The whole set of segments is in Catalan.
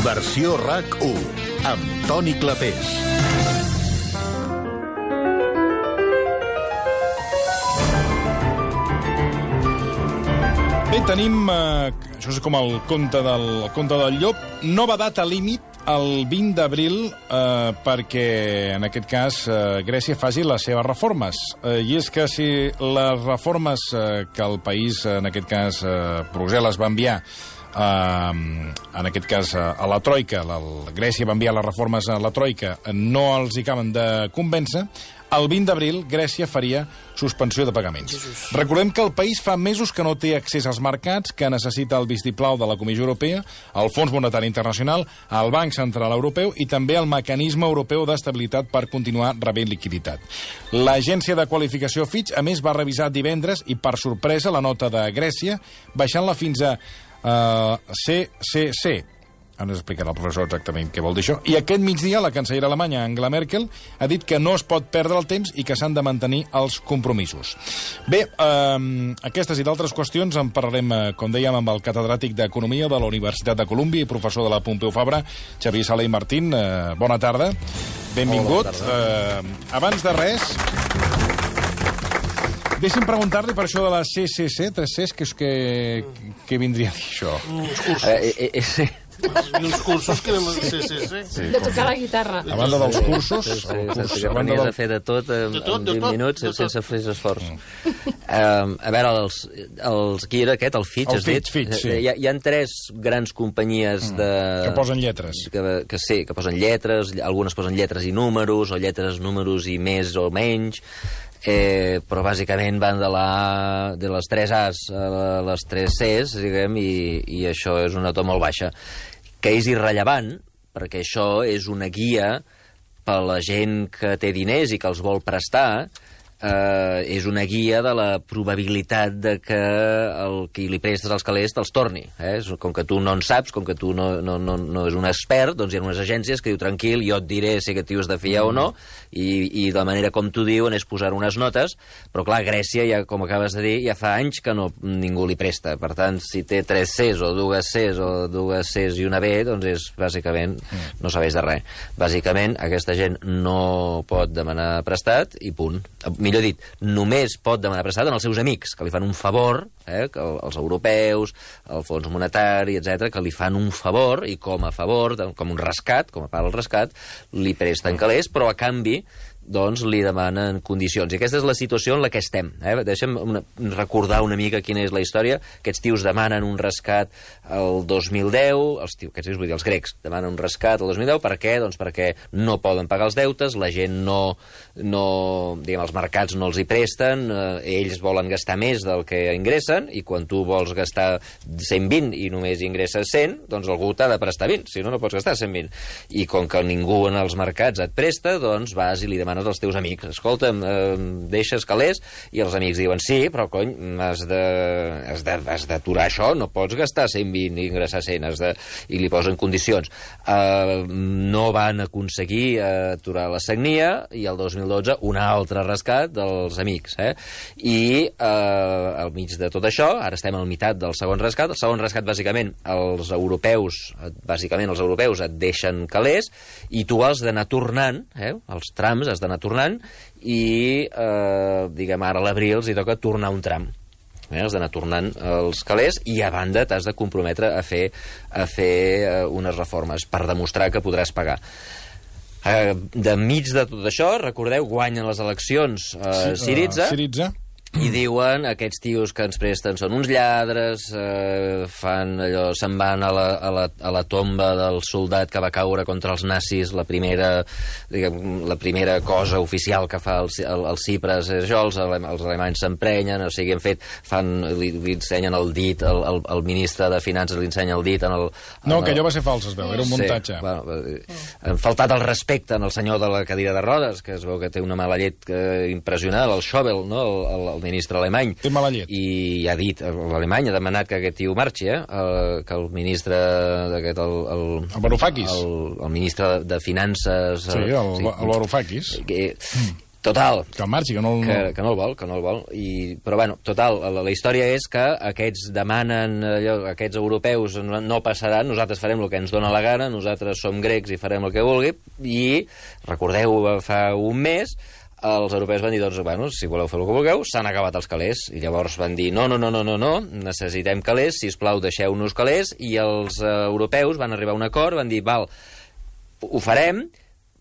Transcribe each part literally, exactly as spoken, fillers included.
Versió RAC u, amb Toni Clapés. Bé, tenim, eh, això és com el conte del, el conte del llop, nova data límit, el vint d'abril, eh, perquè, en aquest cas, eh, Grècia faci les seves reformes. Eh, I és que si les reformes eh, que el país, en aquest cas, eh, Brussel·les, va enviar, eh, en aquest cas, a la Troika, la, Grècia va enviar les reformes a la Troika, no els hi acaben de convèncer, el vint d'abril Grècia faria suspensió de pagaments. Jesus. Recordem que el país fa mesos que no té accés als mercats, que necessita el vistiplau de la Comissió Europea, el Fons Monetari Internacional, el Banc Central Europeu i també el Mecanisme Europeu d'Estabilitat per continuar rebent liquiditat. L'agència de qualificació Fitch, a més, va revisar divendres i, per sorpresa, la nota de Grècia, baixant-la fins a uh, C C C. Ara ens explicarà el professor exactament què vol dir això. I aquest migdia la cancellera alemanya Angela Merkel ha dit que no es pot perdre el temps i que s'han de mantenir els compromisos. Bé, eh, aquestes i d'altres qüestions en parlarem, eh, com dèiem, amb el catedràtic d'Economia de la Universitat de Colúmbia i professor de la Pompeu Fabra, Xavier Sala i Martín. Eh, bona tarda. Benvingut. Hola, bona tarda. Eh, abans de res, deixi'm preguntar-li per això de la C C C, tres Cs, que, que, que vindria a dir això? Uns cursos. Eh, eh, eh, I uns cursos que anem a C C C. Sí, de tocar la guitarra. A banda dels cursos... Sí, sí, curs, que venies del... a fer de tot en, de tot, en vint tot, minuts tot, sense fer esforç. Mm. Um, a veure, els, els, qui era aquest? El Fitch, el Fitch, Fitch, sí. Hi ha, hi ha tres grans companyies mm. de... Que posen lletres. Que, que sí, que posen lletres, algunes posen lletres i números, o lletres, números i més o menys... Eh, però bàsicament van de, la, de les tres A's a les tres C's, diguem, i, i això és una to molt baixa, que és irrellevant, perquè això és una guia per a la gent que té diners i que els vol prestar, eh, és una guia de la probabilitat de que el qui li prestes els calés te'ls torni. Eh? Com que tu no en saps, com que tu no, no, no, no és un expert, doncs hi ha unes agències que diu, tranquil, jo et diré si aquest tio és de fiar mm. o no, i, i de la manera com t'ho diuen és posar unes notes, però clar, Grècia, ja, com acabes de dir, ja fa anys que no, ningú li presta. Per tant, si té tres Cs o dues Cs o dues Cs i una B, doncs és, bàsicament, mm. no sabeix de res. Bàsicament, aquesta gent no pot demanar prestat i punt. Millor dit, només pot demanar prestat als seus amics, que li fan un favor, eh, que els europeus, el Fons Monetari, etcètera, que li fan un favor, i com a favor, com un rescat, com a part del rescat, li presten calés, però a canvi doncs li demanen condicions. I aquesta és la situació en la que estem. Eh? Deixa'm una, recordar una mica quina és la història. Aquests tios demanen un rescat el dos mil deu, els tios, aquests tios, vull dir, els grecs, demanen un rescat el dos mil deu, per què? Doncs perquè no poden pagar els deutes, la gent no, no diguem, els mercats no els hi presten, eh, ells volen gastar més del que ingressen, i quan tu vols gastar cent vint i només ingresses cent, doncs algú t'ha de prestar vint, si no, no pots gastar cent vint. I com que ningú en els mercats et presta, doncs vas i li demanes als teus amics, escolta'm, eh, deixes calés, i els amics diuen, sí, però cony, has de, has de, has d'aturar això, no pots gastar cent vint i ingressar cent, has de... i li posen condicions. Eh, no van aconseguir eh, aturar la sagnia, i el dos mil dotze un altre rescat dels amics. Eh? I eh, al mig de tot això, ara estem al meitat del segon rescat, el segon rescat, bàsicament, els europeus, bàsicament els europeus et deixen calés, i tu has d'anar tornant, eh? Els trams has d'anar tornant, i eh, diguem ara a l'abril els hi toca tornar un tram. Eh, has d'anar tornant els calés, i a banda t'has de comprometre a fer, a fer eh, unes reformes per demostrar que podràs pagar. Eh, de mig de tot això, recordeu, guanyen les eleccions eh, sí, Syriza, uh, Syriza, i diuen, aquests tios que ens presten són uns lladres, eh, fan allò, se'n van a la, a, la, a la tomba del soldat que va caure contra els nazis, la primera, diguem, la primera cosa oficial que fa el, el, el Cipres és això, els, els alemanys s'emprenyen, o sigui, en fet, fan, li, li ensenyen el dit, el, el, el ministre de Finances li ensenya el dit en el... En no, el... que allò va ser fals, es veu, era un muntatge. Sí, bueno, han faltat el respecte en el senyor de la cadira de rodes, que es veu que té una mala llet que, impressionant, el Schäuble, no?, el, el, el ministre alemany. Té mala llet. I ha dit, l'alemany ha demanat que aquest tio marxi, eh? El, que el ministre d'aquest... El, el, el Varoufakis. El, el ministre de Finances... Sí, el, sí, el Varoufakis. Que, Total. Que marxi, que no el... Que, que no el vol, que no el vol. I, però, bueno, total, la, la història és que aquests demanen, allò, aquests europeus no, no passaran, nosaltres farem el que ens dóna la gana, nosaltres som grecs i farem el que vulgui, i, recordeu, fa un mes, els europeus van dir, doncs, bueno, si voleu fer el que vulgueu, s'han acabat els calés. I llavors van dir, no, no, no, no, no, no, necessitem calés, sisplau, deixeu-nos calés, i els uh, europeus van arribar a un acord, van dir, val, ho farem,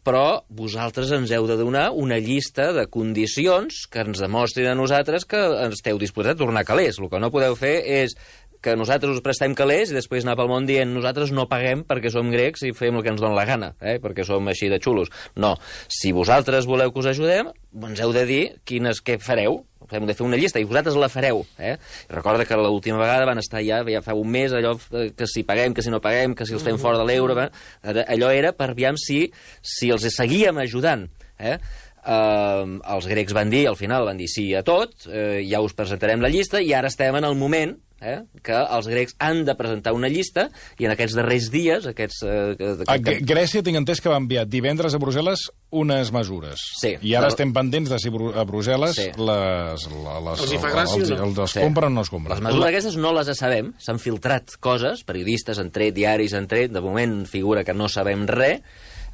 però vosaltres ens heu de donar una llista de condicions que ens demostrin a nosaltres que esteu disposats a tornar calés. El que no podeu fer és que nosaltres us prestem calés i després anar pel món dient nosaltres no paguem perquè som grecs i fem el que ens dona la gana, eh? perquè som així de xulos. No, si vosaltres voleu que us ajudem, ens heu de dir quines, què fareu. Hem de fer una llista i vosaltres la fareu. Eh? Recorda que l'última vegada van estar ja, ja fa un mes, allò que si paguem, que si no paguem, que si els fem fora de l'euro... Allò era per aviam si, si els seguíem ajudant. Eh? Uh, els grecs van dir, al final van dir sí a tot, uh, ja us presentarem la llista i ara estem en el moment eh, que els grecs han de presentar una llista i en aquests darrers dies aquests, uh, que, a que... Grècia tinc entès que va enviar divendres a Brussel·les unes mesures. Sí. I ara però... estem pendents de si a Brussel·les sí. les, les, els hi fa gràcia els, o no? Els, els sí. compren o no es compren. Les mesures aquestes no les sabem, s'han filtrat coses, periodistes han tret, diaris han tret, de moment figura que no sabem res,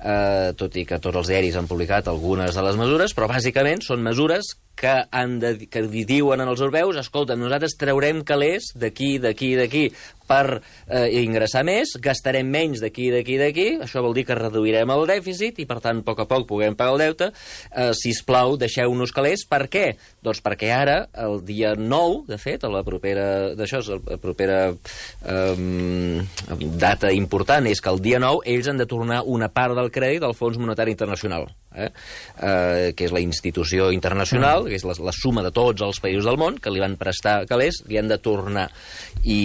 eh, tot i que tots els diaris han publicat algunes de les mesures, però bàsicament són mesures que, han de, que diuen als europeus, escolta, nosaltres traurem calés d'aquí, d'aquí, d'aquí, per eh, ingressar més, gastarem menys d'aquí, d'aquí, d'aquí, això vol dir que reduirem el dèficit i, per tant, a poc a poc puguem pagar el deute. Eh, sisplau, deixeu-nos calés. Per què? Doncs perquè ara, el dia nou, de fet, a la propera... d'això és la propera eh, data important, és que el dia nou ells han de tornar una part del crèdit al Fons Monetari Internacional, eh? Eh, que és la institució internacional, que és la, la suma de tots els països del món que li van prestar calés, li han de tornar. I,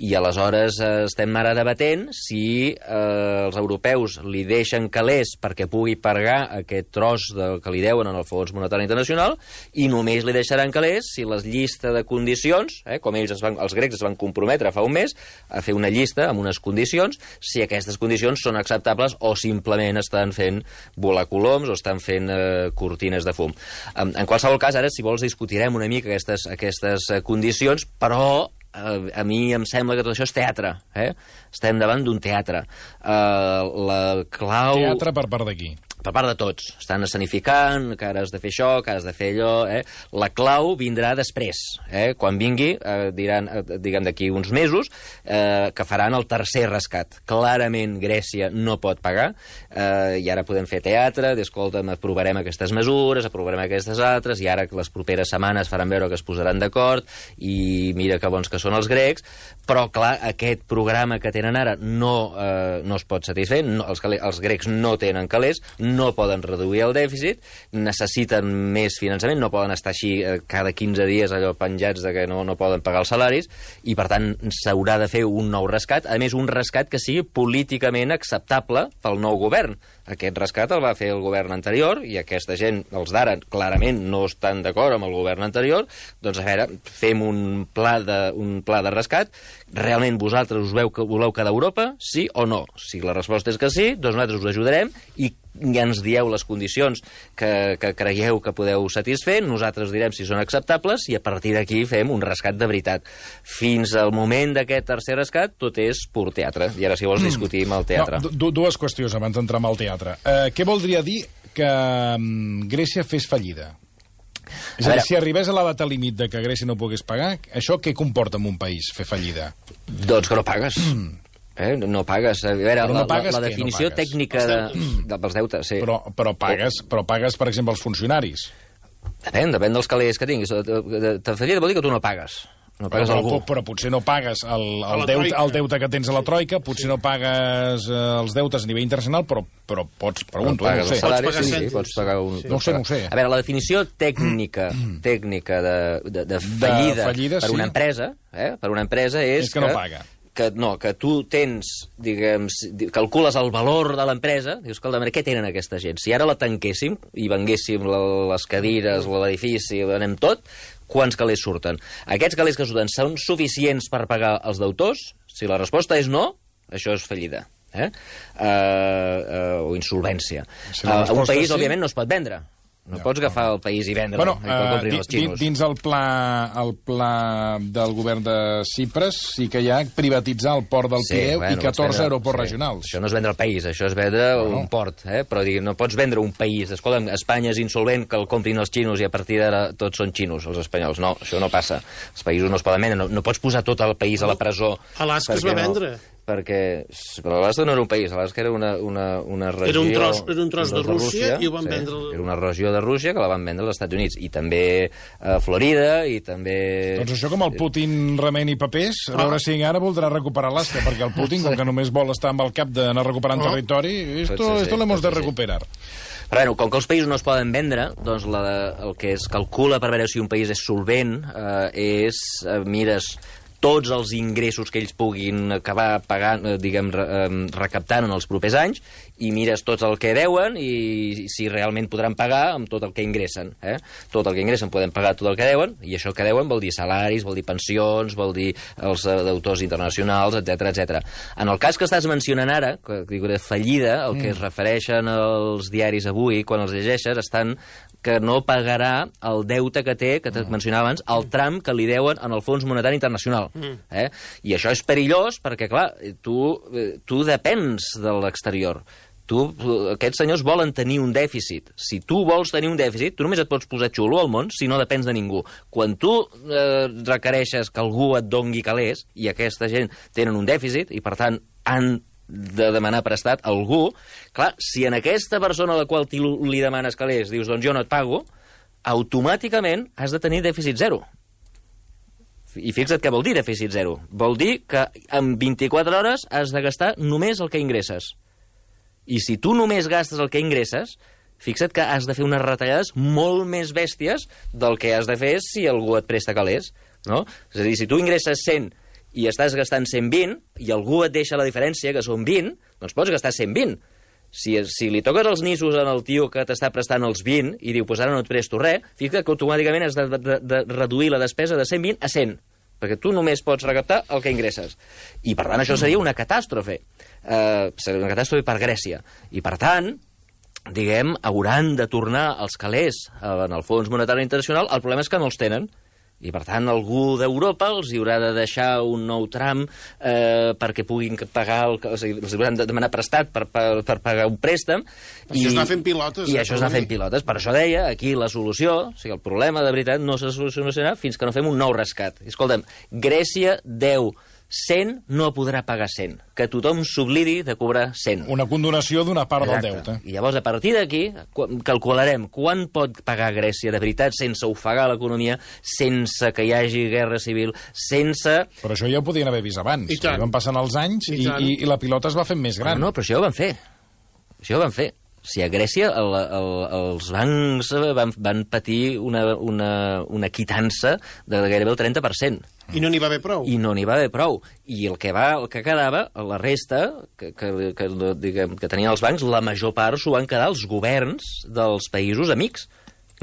i aleshores eh, estem ara debatent si eh, els europeus li deixen calés perquè pugui pagar aquest tros de, que li deuen en el Fons Monetari Internacional i només li deixaran calés si les llistes de condicions, eh, com ells es van, els grecs es van comprometre fa un mes a fer una llista amb unes condicions, si aquestes condicions són acceptables o simplement estan fent volar coloms o estan fent eh, cortines de fum. En, en qualsevol cas, ara, si vols, discutirem una mica aquestes, aquestes eh, condicions, però a mi em sembla que tot això és teatre. Eh? Estem davant d'un teatre. Uh, la clau... Teatre per part d'aquí? Per part de tots. Estan escenificant, que ara has de fer això, que has de fer allò... Eh? La clau vindrà després. Eh? Quan vingui, eh, diran, eh, diguem d'aquí uns mesos, eh, que faran el tercer rescat. Clarament Grècia no pot pagar, eh, i ara podem fer teatre, d'escolta'm, aprovarem aquestes mesures, aprovarem aquestes altres, i ara les properes setmanes faran veure que es posaran d'acord, i mira que bons que són els grecs, però, clar, aquest programa que tenen ara no, eh, no es pot satisfer, no, els, els grecs no tenen calés, no poden reduir el dèficit, necessiten més finançament, no poden estar així eh, cada quinze dies allò penjats de que no, no poden pagar els salaris, i per tant s'haurà de fer un nou rescat, a més un rescat que sigui políticament acceptable pel nou govern. Aquest rescat el va fer el govern anterior i aquesta gent, els d'ara, clarament no estan d'acord amb el govern anterior, doncs a veure, fem un pla de, un pla de rescat. Realment vosaltres us veu que voleu quedar a Europa, sí o no? Si la resposta és que sí, doncs nosaltres us ajudarem i ja ens dieu les condicions que, que creieu que podeu satisfer, nosaltres direm si són acceptables i a partir d'aquí fem un rescat de veritat. Fins al moment d'aquest tercer rescat tot és pur teatre. I ara si vols discutim el teatre. No, dues qüestions abans d'entrar en el teatre. Uh, què voldria dir que um, Grècia fes fallida? És a dir, si arribés a la data límit de que Grècia no pogués pagar, això què comporta en un país, fer fallida? Doncs que no pagues. Eh? No pagues. A veure, no la, pagues la, la definició no tècnica de, de, dels deutes, sí. Però, però, pagues, però pagues, per exemple, els funcionaris. Depèn, depèn dels calés que tinguis. De fallida vol dir que tu no pagues. No pagues però, algú. Però, però potser no pagues el, el, deute, el deute que tens a la Troika, potser no pagues eh, els deutes a nivell internacional, però, però pots, pregunto, però no ho sé. Salari, pots pagar sí, sí, pots pagar un... Sí. No ho sé, no ho sé. A veure, la definició tècnica tècnica de, de, de fallida, de fallida per sí. una empresa, eh, per una empresa és, és que, que no paga. Que, no, que tu tens, diguem, calcules el valor de l'empresa, dius, escolta, què tenen aquesta gent? Si ara la tanquéssim i venguéssim les cadires, l'edifici, anem tot, quants calés surten? Aquests calés que surten són suficients per pagar els deutors? Si la resposta és no, això és fallida. Eh? Uh, uh, o insolvència. Si uh, un país, sí, òbviament, no es pot vendre. No Ja, pots agafar el país i vendre-lo, Bueno, i que el comprin uh, els xinos. dins el pla, el pla del govern de Cipres sí que hi ha privatitzar el port del Sí, Pireu bueno, i catorze vendre- aeroports sí. regionals. Això no és vendre el país, això és vendre Bueno. un port, eh? Però digui, no pots vendre un país. Escolta, Espanya és insolvent, que el comprin els xinos i a partir d'ara tots són xinos, els espanyols. No, això no passa. Els països no es poden vendre. No, no pots posar tot el país a la presó. Alaska es perquè va no- vendre. Perquè... Però Alaska no era un país, Alaska era una, una, una regió... Era un tros- era un tros de Rússia i ho van sí, vendre- Era una regió de Rússia que la van vendre als Estats Units. I també a Florida, i també... Doncs això com el Putin remeni papers, a veure si ara voldrà recuperar l'Alaska, perquè el Putin, com que només vol estar amb el cap d'anar recuperant Oh. territori, esto, Pot ser, sí, esto lo hemos pot de ser, sí. recuperar. Però bueno, com que els països no es poden vendre, doncs la, el que es calcula per veure si un país és solvent eh, és, eh, mires tots els ingressos que ells puguin acabar pagant, eh, diguem, re, eh, recaptant en els propers anys, i mires tots el que deuen i si realment podran pagar amb tot el que ingressen. Eh? Tot el que ingressen poden pagar tot el que deuen, i això que deuen vol dir salaris, vol dir pensions, vol dir els eh, deutors internacionals, etcètera, etcètera. En el cas que estàs mencionant ara, que dic, de fallida, el que es refereixen als diaris avui, quan els llegeixes, estan que no pagarà el deute que té, que et mencionava abans, el tram que li deuen en el Fons Monetari Internacional. Eh? I això és perillós perquè, clar, tu, eh, tu depens de l'exterior. Tu, aquests senyors volen tenir un dèficit. Si tu vols tenir un dèficit, tu només et pots posar xulo al món si no depens de ningú. Quan tu eh, requereixes que algú et dongui calés, i aquesta gent tenen un dèficit, i per tant han de demanar prestat a algú, clar, si en aquesta persona a la qual li demanes calés dius, doncs jo no et pago, automàticament has de tenir dèficit zero. I fixa't què vol dir dèficit zero. Vol dir que en vint-i-quatre hores has de gastar només el que ingresses. I si tu només gastes el que ingresses, fixa't que has de fer unes retallades molt més bèsties del que has de fer si algú et presta calés. No? És a dir, si tu ingresses cent i estàs gastant cent vint, i algú et deixa la diferència, que són vint, doncs pots gastar cent vint. Si, si li toques els nissos al tio que t'està prestant els vint i diu, pues ara no et presto res, fixa't que automàticament has de, de, de reduir la despesa de cent vint a cent, perquè tu només pots recaptar el que ingresses. I, per tant, això seria una catàstrofe. Eh, seria una catàstrofe per Grècia. I, per tant, diguem, hauran de tornar els calés en el Fons Monetari Internacional. El problema és que no els tenen. I, per tant, algú d'Europa els hi haurà de deixar un nou tram eh, perquè puguin pagar... El, o sigui, els hauran de demanar prestat per, per, per pagar un préstec. Això és anar fent pilotes. I eh, això és anar fent pilotes. Per això deia, aquí la solució, o sigui, el problema de veritat no se solucionarà fins que no fem un nou rescat. I, escolta'm, Grècia deu cent, no podrà pagar cent. Que tothom s'oblidi de cobrar cent. Una condonació d'una part Exacte. del deute. I llavors, a partir d'aquí, calcularem quan pot pagar Grècia de veritat sense ofegar l'economia, sense que hi hagi guerra civil, sense... Però això ja ho podien haver vist abans. I tant. Van passant els anys I i, tant. i, i la pilota es va fent més gran. No, no, però això ja ho van fer. Això ja ho van fer. Si a Grècia el, el, els bancs van, van patir una, una, una quitança de gairebé el trenta per cent. I no n'hi va haver prou. I no n'hi va haver prou. I el que, va, el que quedava, la resta, que, que, que, diguem, que tenien els bancs, la major part s'ho van quedar els governs dels països amics.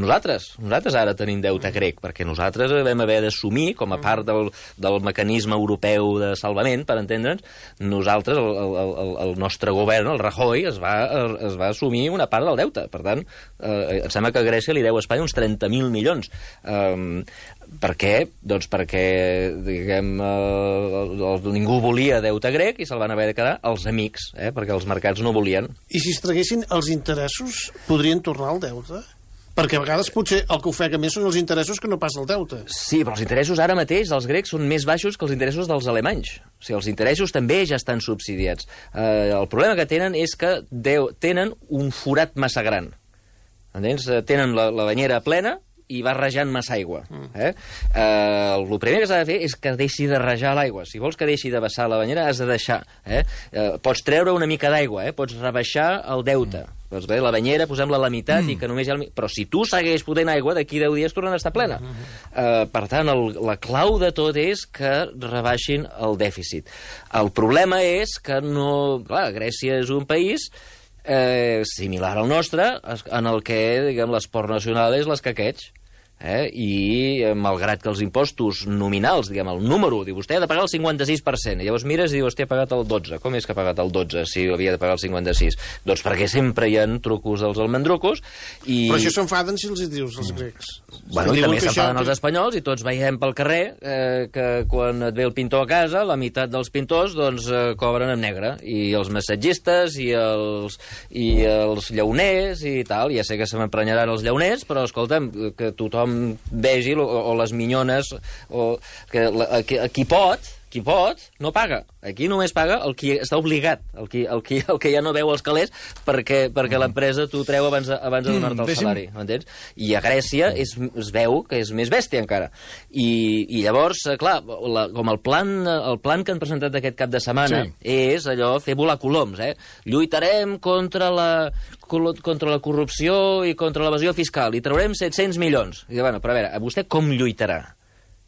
Nosaltres, nosaltres ara tenim deute grec, perquè nosaltres vam haver d'assumir, com a part del, del mecanisme europeu de salvament, per entendre'ns, nosaltres, el, el, el, el nostre govern, el Rajoy, es va, es va assumir una part del deute. Per tant, eh, em sembla que Grècia li deu a Espanya uns trenta mil milions. Um, per què? Doncs perquè, diguem, eh, el, el, ningú volia deute grec i se'l van haver de quedar els amics, eh, perquè els mercats no volien. I si es traguessin els interessos, podrien tornar al deute? Perquè a vegades potser el que ofega més són els interessos que no pas el deute. Sí, però els interessos ara mateix dels grecs són més baixos que els interessos dels alemanys. O sigui, els interessos també ja estan subsidiats. Eh, el problema que tenen és que deu, tenen un forat massa gran. Entens? Tenen la, la banyera plena i va rejant massa aigua. Eh? Eh, el primer que s'ha de fer és que deixi de rejar l'aigua. Si vols que deixi de vessar la banyera, has de deixar. Eh? Eh, pots treure una mica d'aigua, eh? Pots rebaixar el deute. Mm. Doncs bé, la banyera, posem-la a la meitat mm. i que només hi ha... El... Però si tu segueix fotent aigua, d'aquí deu dies tornen a estar plena. Mm -hmm. eh, per tant, el, la clau de tot és que rebaixin el dèficit. El problema és que no... Clar, Grècia és un país... Eh, similar al nostre, en el que, diguem, l'esport nacional és l'escaqueig. Eh? I eh, malgrat que els impostos nominals, diguem, el número, diu, vostè ha de pagar el cinquanta-sis per cent, i llavors mires i diu, hòstia, ha pagat el dotze. Com és que ha pagat el dotze si havia de pagar el cinquanta-sis? Doncs perquè sempre hi ha trucos dels almendrucos i... Però això s'enfaden si els hi dius, els grecs. Bueno, i també s'enfaden els espanyols i tots veiem pel carrer eh, que quan et ve el pintor a casa, la meitat dels pintors doncs, eh, cobren en negre, i els massatgistes i els, i els llauners i tal. Ja sé que se m'emprenyaran els llauners, però escolta'm, que tothom vegi, o, o les minyones, o que la, qui, qui pot, qui pot, no paga. Aquí només paga el qui està obligat, el qui, el qui, el que ja no veu els calés perquè, perquè mm. l'empresa t'ho treu abans, de, abans de donar-te el mm, salari, m'entens? I a Grècia es, es veu que és més bèstia encara. I, i llavors, clar, la, com el plan, el plan que han presentat aquest cap de setmana sí. és allò, fer volar coloms, eh? Lluitarem contra la, contra la corrupció i contra l'evasió fiscal, i traurem set-cents milions. I, bueno, però a veure, vostè com lluitarà?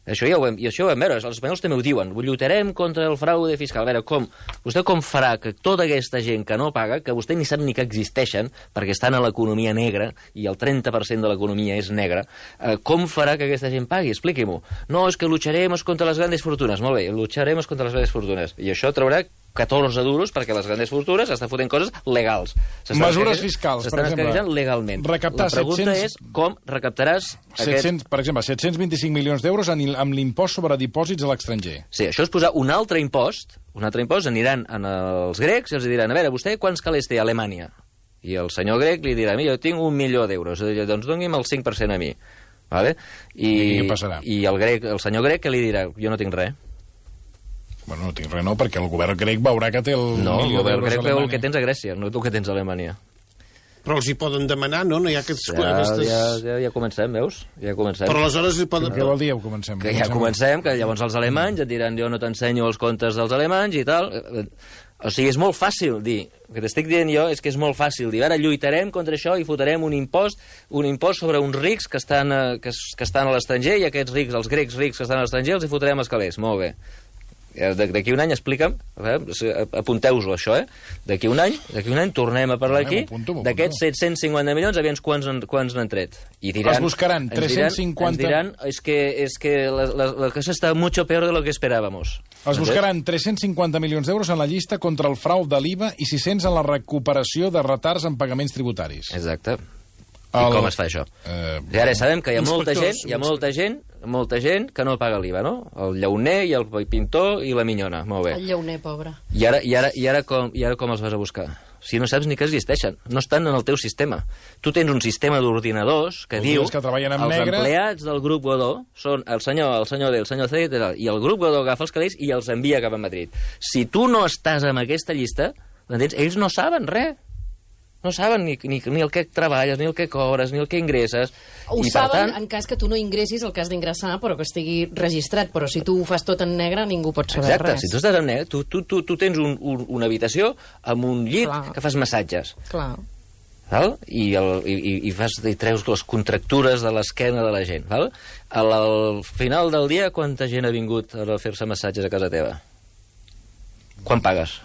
Això ja ho vam, i això ho vam veure, els espanyols també ho diuen, lluitarem contra el fraude fiscal. A veure, com, vostè com farà que tota aquesta gent que no paga, que vostè ni sap ni que existeixen, perquè estan a l'economia negra, i el trenta per cent de l'economia és negra, eh, com farà que aquesta gent pagui? Expliqui-m'ho. No, és que lucharemos contra les grandes fortunes. Molt bé, lucharemos contra les grandes fortunes. I això traurà catorze duros perquè les grandes fortunes estan fotent coses legals. Mesures fiscals, per exemple. S'estan legalment. Recaptar la pregunta set cents... és com recaptaràs... setcents, aquest... Per exemple, set-cents vint-i-cinc milions d'euros amb l'impost sobre dipòsits a l'estranger. Sí, això és posar un altre impost, un altre impost, aniran als grecs i els diran, a veure, vostè quants calés té a Alemanya? I el senyor grec li dirà, mira, jo tinc un milió d'euros, doncs doni'm el cinc per cent a mi. Vale? I, I què passarà? I el, grec, el senyor grec què li dirà? Jo no tinc res. Bueno, no tinc res, no, perquè el govern grec veurà que té el no, milió el govern grec veu el que tens a Grècia, no tu que tens a Alemanya. Però els hi poden demanar, no? No hi ha aquests... Ja, aquestes... ja, ja, ja comencem, veus? Ja comencem. Però aleshores hi poden... Què vol dir, ja comencem? Que ja comencem, que llavors els alemanys et diran jo no t'ensenyo els comptes dels alemanys i tal. O sigui, és molt fàcil dir, el que t'estic dient jo és que és molt fàcil dir, ara lluitarem contra això i fotrem un impost un impost sobre uns rics que estan, que, que estan a l'estranger, i aquests rics, els grecs rics que estan a l'estranger, els hi fotrem els calés. Molt bé. D'aquí un any, explica'm, apunteu-vos això, eh? D'aquí un any, d'aquí un any tornem a parlar aquí d'aquests set-cents cinquanta milions, aviam quants, quants n'han tret. I diran, es buscaran tres-cents cinquanta... Ens diran, és que, és que la, la, la cosa està mucho peor de lo que esperábamos. Es buscaran tres-cents cinquanta milions d'euros en la llista contra el frau de l'I V A i sis-cents en la recuperació de retards en pagaments tributaris. Exacte. I el... com es fa això? Uh... I ara sabem que hi ha molta gent, hi ha molta gent, molta gent que no paga l'I V A, no? El llauner i el pintor i la minyona. Molt bé. El llauner, pobre. I ara, i ara, i ara, com, i ara com els vas a buscar? Si no saps ni que existeixen. No estan en el teu sistema. Tu tens un sistema d'ordinadors que diu que treballen amb els negre... empleats del grup Godó són el senyor, el senyor D, el senyor C, i el grup Godó agafa els calés i els envia cap a Madrid. Si tu no estàs en aquesta llista, entens? Ells no saben res. No saben ni, ni, ni el que treballes, ni el que cobres, ni el que ingresses. Ho I, saben per tant... en cas que tu no ingressis el que has d'ingressar, però que estigui registrat. Però si tu ho fas tot en negre, ningú pot saber Exacte, res. si tu estàs en negre, tu, tu, tu, tu tens un, un, una habitació amb un llit Clar. que fas massatges. Clar. Val? I, el, i, i, fas, i treus les contractures de l'esquena de la gent. Val? Al, al final del dia, quanta gent ha vingut a fer-se massatges a casa teva? Quan pagues?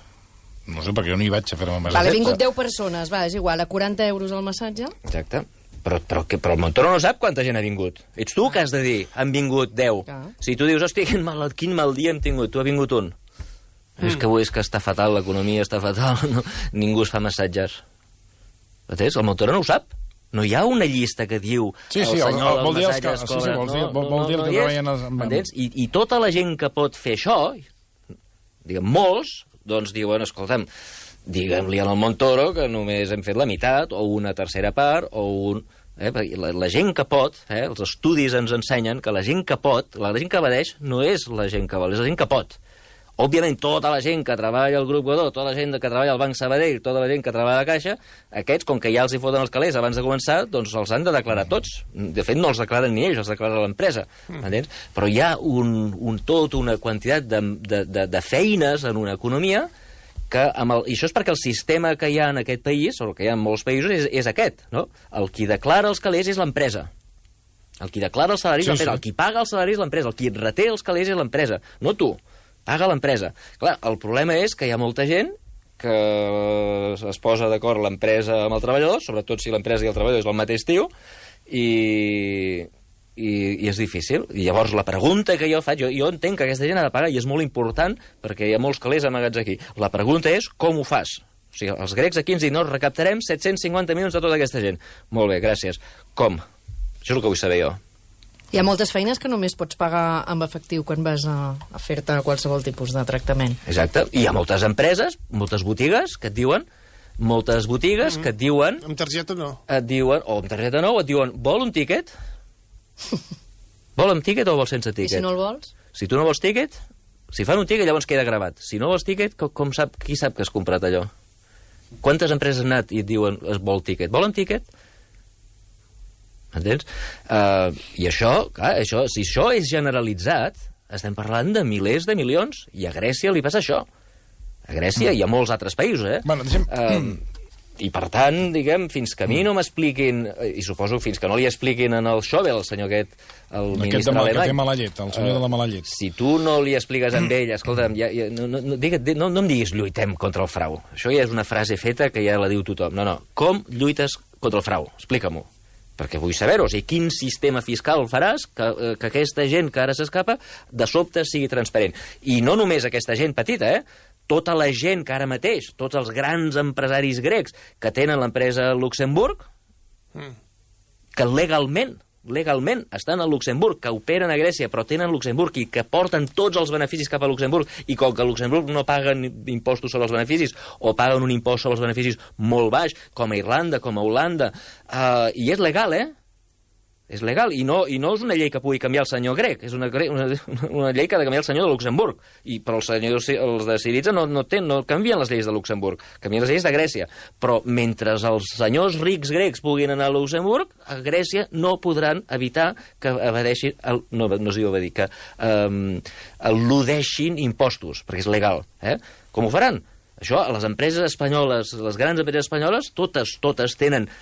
No sé, perquè jo no hi vaig a fer-me massatge. Vale, ha vingut deu persones, va, és igual, a quaranta euros el massatge. Exacte. Però, però, que, però el Montoro no sap quanta gent ha vingut. Ets tu que has de dir, han vingut deu. Ah. Si tu dius, hòstia, quin mal, quin mal dia hem tingut, tu ha vingut un. Mm. És que avui és que està fatal, l'economia està fatal, no? Ningú es fa massatges. Entens? El Montoro no ho sap. No hi ha una llista que diu sí, sí, el senyor el, el, dels massatges que... cobra. Sí, sí, vol dir, no, vol, no, vol dir no, el no que treballen... Els... Entens? I, I tota la gent que pot fer això, diguem, molts, doncs diuen, escolta'm, diguem-li al Montoro que només hem fet la meitat, o una tercera part, o un... Eh, la, la gent que pot, eh, els estudis ens ensenyen que la gent que pot, la gent que evadeix, no és la gent que vol, és la gent que pot. Òbviament, tota la gent que treballa al Grup Godó, tota la gent que treballa al Banc Sabadell, tota la gent que treballa a la Caixa, aquests, com que ja els hi foten els calés abans de començar, doncs els han de declarar tots. De fet, no els declaren ni ells, els declara l'empresa. Mm. Però hi ha un, un tot, una quantitat de, de, de, de feines en una economia que amb el, i això és perquè el sistema que hi ha en aquest país, o que hi ha en molts països, és, és aquest, no? El qui declara els calés és l'empresa. El qui declara els salaris sí, és l'empresa. Sí. El qui paga els salaris és l'empresa. El qui reté els calés és l'empresa. No tu. Paga l'empresa. Clar, el problema és que hi ha molta gent que es posa d'acord l'empresa amb el treballador, sobretot si l'empresa i el treballador és el mateix tio, i, i, i és difícil. I llavors la pregunta que jo faig, jo, jo entenc que aquesta gent ha de pagar, i és molt important, perquè hi ha molts calés amagats aquí. La pregunta és com ho fas? O sigui, els grecs aquí ens diuen, no, recaptarem set-cents cinquanta milions de tota aquesta gent. Molt bé, gràcies. Com? Això és el que vull saber jo. Hi ha moltes feines que només pots pagar amb efectiu quan vas a, a fer-te qualsevol tipus de tractament. Exacte. I hi ha moltes empreses, moltes botigues que et diuen, moltes botigues mm-hmm. que et diuen... Amb targeta no. Et diuen, o amb targeta no, o et diuen, vol un tíquet? Vol amb tíquet o vol sense tíquet? I si no el vols? Si tu no vols tíquet, si fan un tíquet llavors queda gravat. Si no vols tíquet, com, com sap, qui sap que has comprat allò? Quantes empreses han anat i et diuen, es vol tíquet? Vol un tíquet? Entens? Uh, I això, clar, això, si això és generalitzat, estem parlant de milers de milions, i a Grècia li passa això. A Grècia mm. i a molts altres països, eh? Bueno, deixem... uh, I, per tant, diguem, fins que a mi no m'expliquin, i suposo fins que no li expliquin en el Schäuble, el senyor aquest, el aquest ministre de, alemany... que té mala llet, el senyor uh, de la mala llet. Si tu no li expliques amb ell, escolta'm, ja, ja, no, no, no, no em diguis lluitem contra el frau. Això ja és una frase feta que ja la diu tothom. No, no, com lluites contra el frau? Explica-m'ho. Perquè vull saber-ho, o sigui, quin sistema fiscal faràs que, que aquesta gent que ara s'escapa de sobte sigui transparent. I no només aquesta gent petita, eh? Tota la gent que ara mateix, tots els grans empresaris grecs que tenen l'empresa a Luxemburg, mm. que legalment, legalment estan a Luxemburg, que operen a Grècia però tenen Luxemburg i que porten tots els beneficis cap a Luxemburg, i com que a Luxemburg no paguen impostos sobre els beneficis o paguen un impost sobre els beneficis molt baix, com a Irlanda, com a Holanda, uh, i és legal, eh? És legal, i no, i no és una llei que pugui canviar el senyor grec, és una, una, una llei que ha de canviar el senyor de Luxemburg, i, però els senyors els de Syriza no, no, ten, no canvien les lleis de Luxemburg, canvien les lleis de Grècia, però mentre els senyors rics grecs puguin anar a Luxemburg, a Grècia no podran evitar que evadeixin, el, no, no es diu evadir, que um, eludeixin impostos, perquè és legal. Eh? Com ho faran? Això, les empreses espanyoles, les grans empreses espanyoles, totes, totes tenen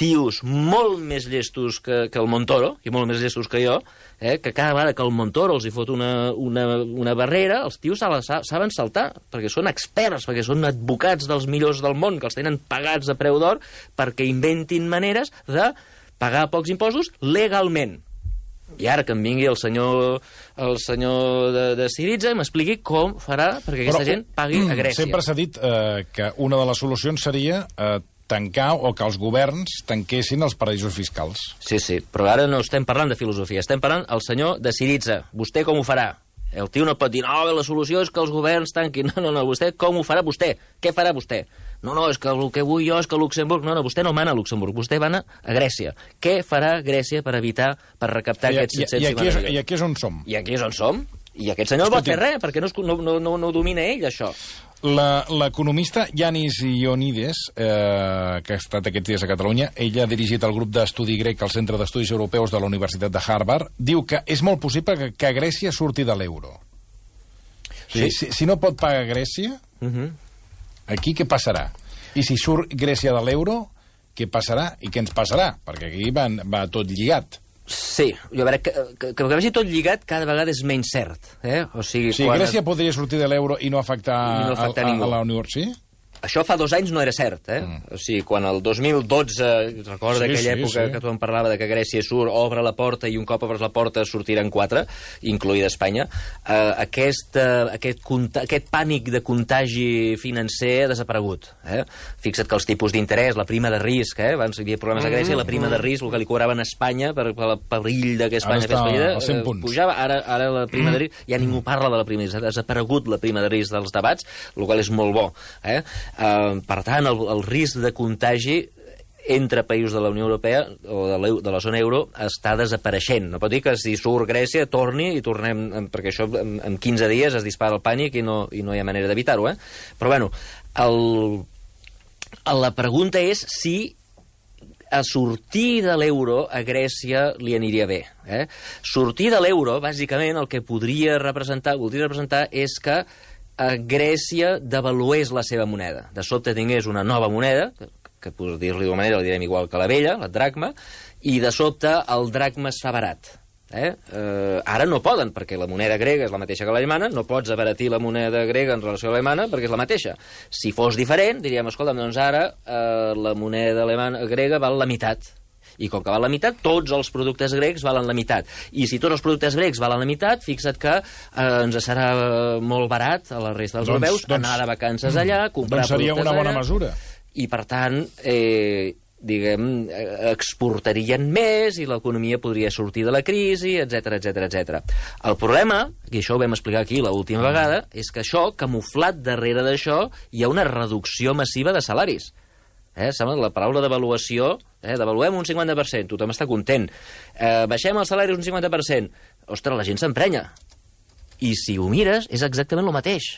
tios molt més llestos que, que el Montoro, i molt més llestos que jo, eh, que cada vegada que el Montoro els hi fot una, una, una barrera, els tios saben saltar, perquè són experts, perquè són advocats dels millors del món, que els tenen pagats a preu d'or, perquè inventin maneres de pagar pocs impostos legalment. I ara que em vingui el senyor, el senyor de, de Syriza i m'expliqui com farà perquè aquesta Però, gent pagui a Grècia. Sempre s'ha dit eh, que una de les solucions seria eh, tancar o que els governs tanquessin els paradisos fiscals. Sí, sí, però ara no estem parlant de filosofia, estem parlant el senyor de Syriza. Vostè com ho farà? El tio no pot dir, no, la solució és que els governs tanquin. No, no, no, vostè com ho farà vostè? Què farà vostè? No, no, és que el que vull jo és que Luxemburg... No, no, vostè no mana a Luxemburg, vostè mana a Grècia. Què farà Grècia per evitar, per recaptar I, aquests set-cents i, i, aquí és, I aquí és on som. I aquí és on som. I aquest senyor no pot fer res, perquè no, no, no, no, no ho domina ell, això. L'economista Yanis Ioannidis, eh, que ha estat aquests dies a Catalunya, ell ha dirigit el grup d'estudi grec al Centre d'Estudis Europeus de la Universitat de Harvard, diu que és molt possible que, que Grècia surti de l'euro. Sí. Si, si no pot pagar Grècia, uh-huh. aquí què passarà? I si surt Grècia de l'euro, què passarà i què ens passarà? Perquè aquí va, va tot lligat. Sí, jo veure, que, que, que vagi tot lligat cada vegada és menys cert. Eh? O sigui, sí, quan... Grècia podria sortir de l'euro i no afectar, I no afectar a, a, a la Unió Europea, sí? Això fa dos anys no era cert, eh? Mm. O sigui, quan el dos mil dotze, recorda sí, aquella sí, època sí. que tothom parlava de que Grècia surt, obre la porta i un cop obres la porta sortiran quatre, incloïda Espanya, eh, aquest, eh, aquest, aquest pànic de contagi financer ha desaparegut. Eh? Fixa't que els tipus d'interès, la prima de risc, eh? abans hi havia problemes a Grècia, la prima de risc, el que li cobraven a Espanya per, per el perill de que Espanya fes fallida, eh, pujava, ara, ara la prima de risc, ja ningú parla de la prima de risc, ha desaparegut la prima de risc dels debats, el qual és molt bo. Eh? Uh, per tant, el, el risc de contagi entre països de la Unió Europea o de la, de la zona euro està desapareixent. No pot dir que si surt Grècia torni i tornem, perquè això en, en quinze dies es dispara el pànic i no, i no hi ha manera d'evitar-ho. Eh? Però bueno, el, la pregunta és si a sortir de l'euro a Grècia li aniria bé. Eh? Sortir de l'euro, bàsicament, el que podria representar, voldria representar és que a Grècia devalués la seva moneda. De sobte tingués una nova moneda, que, que per dir-li d'una manera, la direm igual que la vella, la dracma, i de sobte el dracma es fa barat. Eh? Eh, ara no poden, perquè la moneda grega és la mateixa que l'alemana, no pots abaratir la moneda grega en relació a l'alemana perquè és la mateixa. Si fos diferent, diríem, escolta, doncs ara eh, la moneda alemana grega val la meitat. I com que val la meitat, tots els productes grecs valen la meitat. I si tots els productes grecs valen la meitat, fixa't que eh, ens serà molt barat a la resta dels doncs, europeus doncs, anar de vacances allà, comprar doncs seria productes una bona allà, mesura. I, per tant, eh, diguem, exportarien més i l'economia podria sortir de la crisi, etc etc etc. El problema, i això ho vam explicar aquí l'última vegada, és que això, camuflat darrere d'això, hi ha una reducció massiva de salaris. Eh, sembla la paraula devaluació, eh, devaluem un cinquanta per cent, tothom està content. Eh, baixem els salaris un cinquanta per cent. Ostres, la gent s'emprenya. I si ho mires, és exactament el mateix.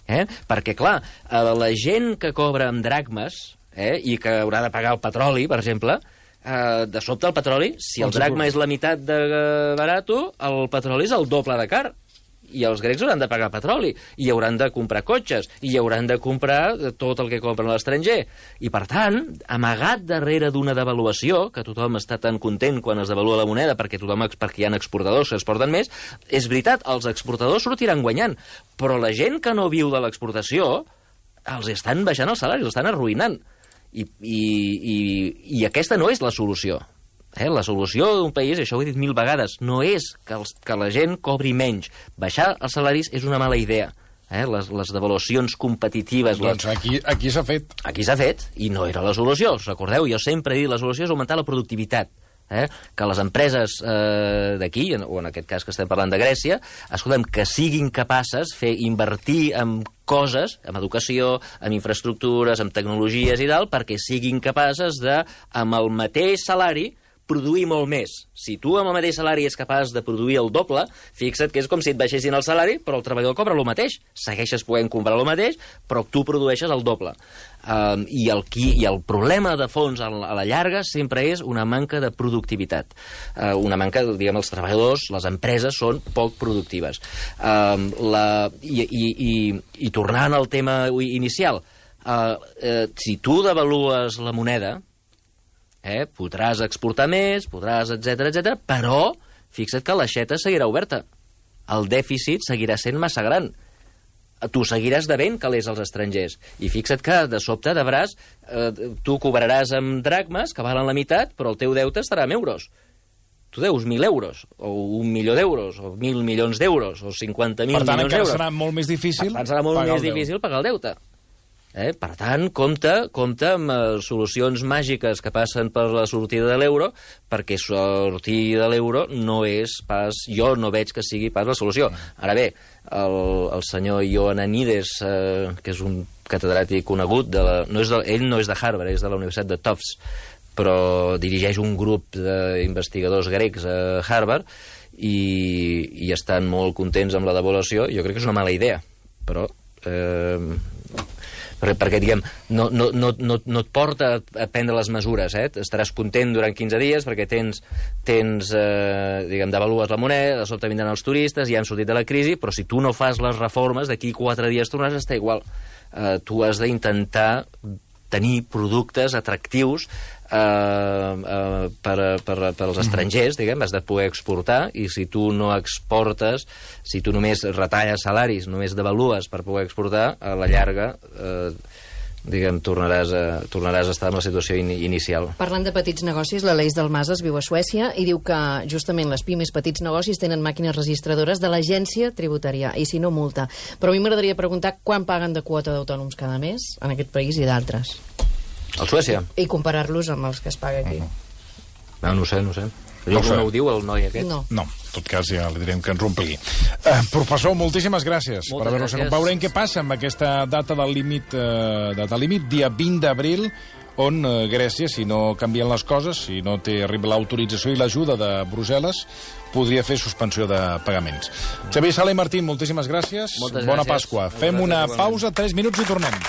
Eh? Perquè, clar, la gent que cobra amb dracmes, eh, i que haurà de pagar el petroli, per exemple, eh, de sobte el petroli, si el dracma és la meitat de barato, el petroli és el doble de car. I els grecs hauran de pagar petroli, i hauran de comprar cotxes, i hauran de comprar tot el que compren a l'estranger. I, per tant, amagat darrere d'una devaluació, que tothom està tan content quan es devalua la moneda perquè, tothom, perquè hi ha exportadors que exporten més, és veritat, els exportadors sortiran guanyant, però la gent que no viu de l'exportació els estan baixant els salaris, els estan arruïnant. I, i, i, i aquesta no és la solució. Eh? La solució d'un país, això ho he dit mil vegades, no és que, els, que la gent cobri menys. Baixar els salaris és una mala idea. Eh? Les, les devaluacions competitives... Doncs les... aquí, aquí s'ha fet. Aquí s'ha fet, i no era la solució. Us recordeu, jo sempre he dit la solució és augmentar la productivitat. Eh? Que les empreses eh, d'aquí, o en aquest cas que estem parlant de Grècia, escoltem, que siguin capaces de fer invertir en coses, en educació, en infraestructures, en tecnologies i tal, perquè siguin capaces de, amb el mateix salari, produir molt més. Si tu amb el mateix salari és capaç de produir el doble, fixa't que és com si et baixessin el salari, però el treballador cobra el mateix. Segueixes podent comprar el mateix, però tu produeixes el doble. Um, i, el, i el problema de fons a la, a la llarga sempre és una manca de productivitat. Uh, una manca, diguem, els treballadors, les empreses són poc productives. Um, la, i, i, i, I tornant al tema inicial, uh, uh, si tu devalues la moneda, Eh, podràs exportar més, podràs, etc etc, però fixa't que l'aixeta seguirà oberta. El dèficit seguirà sent massa gran. Tu seguiràs devent calés als estrangers. I fixa't que, de sobte, deuràs, eh, tu cobraràs amb dracmes, que valen la meitat, però el teu deute estarà en euros. Tu deus mil euros, o un milió d'euros, o mil milions d'euros, o cinquanta mil milions d'euros. Per tant, encara serà molt més difícil, serà molt més difícil pagar el deute. Eh? Per tant, compte, compte amb uh, solucions màgiques que passen per la sortida de l'euro, perquè sortir de l'euro no és pas... Jo no veig que sigui pas la solució. Ara bé, el, el senyor Ioannidis, eh, que és un catedràtic conegut, de la, no és de, ell no és de Harvard, és de la Universitat de Tufts, però dirigeix un grup d'investigadors grecs a Harvard i, i estan molt contents amb la devaluació. Jo crec que és una mala idea, però... Eh, perquè, diguem, no, no, no, no, no et porta a prendre les mesures, eh? Estaràs content durant quinze dies perquè tens, tens eh, diguem, devalues la moneda, de sobte vindran els turistes, ja han sortit de la crisi, però si tu no fas les reformes, d'aquí quatre dies tornaràs a estar igual. Eh, tu has d'intentar tenir productes atractius eh, eh, per, per, per als estrangers, diguem, has de poder exportar, i si tu no exportes, si tu només retalles salaris, només devalues per poder exportar, a la llarga, eh, diguem, tornaràs a, tornaràs a estar en la situació in, inicial. Parlant de petits negocis, l'Aleix Dalmases viu a Suècia i diu que justament les pimes petits negocis tenen màquines registradores de l'agència tributària, i si no, multa. Però a mi m'agradaria preguntar quan paguen de quota d'autònoms cada mes en aquest país i d'altres. A Suècia? I comparar-los amb els que es paga aquí. Uh-huh. No, no ho sé, no ho sé. No, no ho diu el noi aquest? No. No, en tot cas ja li direm que ens ompli. Uh, professor, moltíssimes gràcies Moltes per haver-nos gràcies. acompanyat. Veurem què passa amb aquesta data del límit, uh, data límit, dia vint d'abril, on uh, Grècia, si no canvien les coses, si no té arriba l'autorització i l'ajuda de Brussel·les, podria fer suspensió de pagaments. Xavier Sala i Martín, moltíssimes gràcies. Moltes Bona gràcies. Pasqua. Fem una pausa, tres minuts i tornem.